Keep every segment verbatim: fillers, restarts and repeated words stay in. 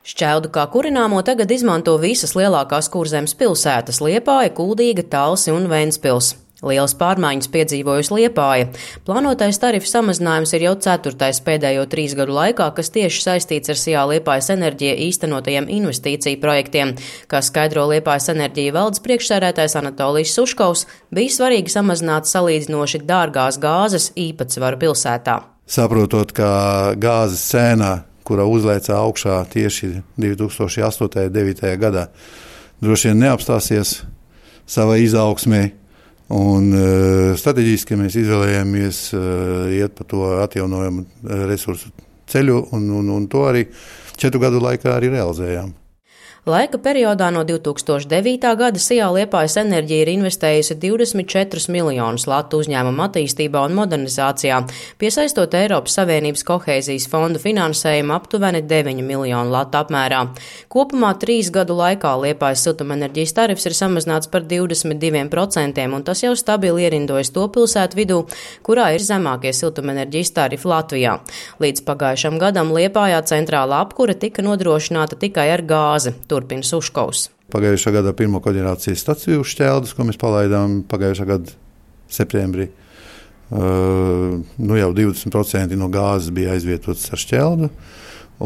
Šķeldu kā kurināmo tagad izmanto visas lielākās Kurzemes pilsētas – Liepāja, Kuldīga, Talsi un Ventspils. Lielas pārmaiņas piedzīvojusi Liepāja. Plānotais tarifu samazinājums ir jau ceturtais pēdējo trīs gadu laikā, kas tieši saistīts ar Sijā Liepājas enerģija īstenotajiem investīciju projektiem. Kā skaidro Liepājas enerģija valdes priekšsēdētājs Anatolijs Suškovs, bija svarīgi samazināt salīdzinoši dārgās gāzes īpatsvaru pilsētā. Saprotot, ka gāzes cēnā, kura uzlēca augšā tieši divi tūkstoši astotajā un devītajā gadā, droši vien neapstāsies savā izaugsmē. Un uh, strateģiski mēs izvēlējāmies uh, iet pa to atjaunojumu resursu ceļu, un, un, un to arī četru gadu laikā arī realizējām. Laika periodā no divi tūkstoši devītā gada Sijā Liepājas enerģija ir investējusi divdesmit četrus miljonus latu uzņēmumu attīstībā un modernizācijā, piesaistot Eiropas Savienības kohēzijas fondu finansējumu aptuveni deviņu miljonu latu apmērā. Kopumā trīs gadu laikā Liepājas siltumenerģijas tarifs ir samazināts par divdesmit diviem procentiem, un tas jau stabili ierindojas to pilsētu vidū, kurā ir zemākie siltumenerģijas tarifi Latvijā. Līdz pagājušam gadam Liepājā centrālā apkure tika nodrošināta tikai ar gāzi. Turpina Suškovs. Pagājušā gada pirmo koģenerācijas staciju Šķeldus, ko mēs palaidām pagājušā gada septembrī, uh, nu jau divdesmit procenti no gāzes bija aizvietotas ar Šķeldu,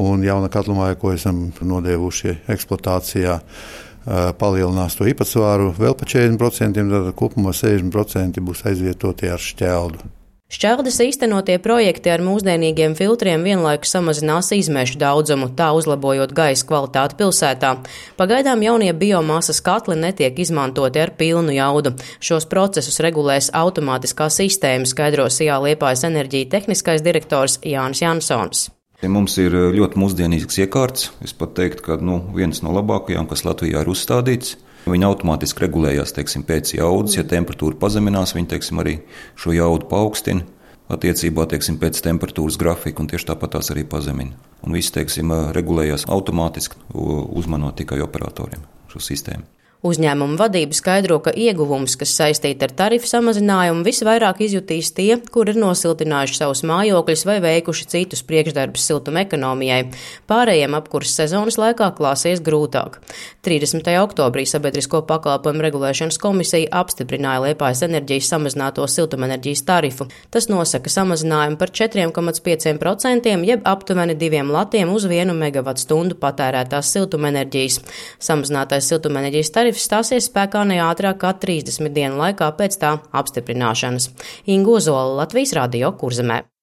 un jauna katlamāja, ko esam nodevuši eksploatācijā, uh, palielinās to īpatsvaru vēl pa četrdesmit procentiem, tad kopumā sešdesmit procenti būs aizvietoti ar Šķeldu. Šķeldes īstenotie projekti ar mūsdienīgiem filtriem vienlaikus samazinās izmešu daudzumu, tā uzlabojot gaisa kvalitāti pilsētā. Pagaidām jaunie biomasas katli netiek izmantoti ar pilnu jaudu. Šos procesus regulēs automātiskā sistēma, skaidro Sijā Liepājas enerģija tehniskais direktors Jānis Jansons. Mums ir ļoti mūsdienīgs iekārts. Es pat teiktu, ka nu, viens no labākajām, kas Latvijā ir uzstādīts. Viņi automātiski regulējās teiksim, pēc jaudas, ja temperatūra pazeminās, viņi teiksim, arī šo jaudu paaugstina attiecībā teiksim, pēc temperatūras grafika, un tieši tāpat tās arī pazemina. Un viss teiksim, regulējās automātiski, uzmanot tikai operatoriem šo sistēmu. Uzņēmuma vadība skaidro, ka ieguvums, kas saistīti ar tarifu samazinājumu, visvairāk izjutīs tie, kur ir nosiltinājuši savus mājokļus vai veikuši citus priekšdarbus siltuma ekonomijai. Pārējiem apkuras sezonas laikā klāsies grūtāk. trīsdesmitajā oktobrī Sabiedrisko pakalpojumu regulēšanas komisija apstiprināja Liepājas enerģijas samazināto siltumenerģijas tarifu. Tas nosaka samazinājumu par četriem komats pieciem procentiem, jeb aptuveni diviem latiem uz vienu megavatstundu patērētās siltumenerģijas. Samazinātais siltumenerģijas tarifs stāsies spēkā ne ātrāk kā trīsdesmit dienu laikā pēc tā apstiprināšanas. Inga Ozola, Latvijas radio Kurzemē.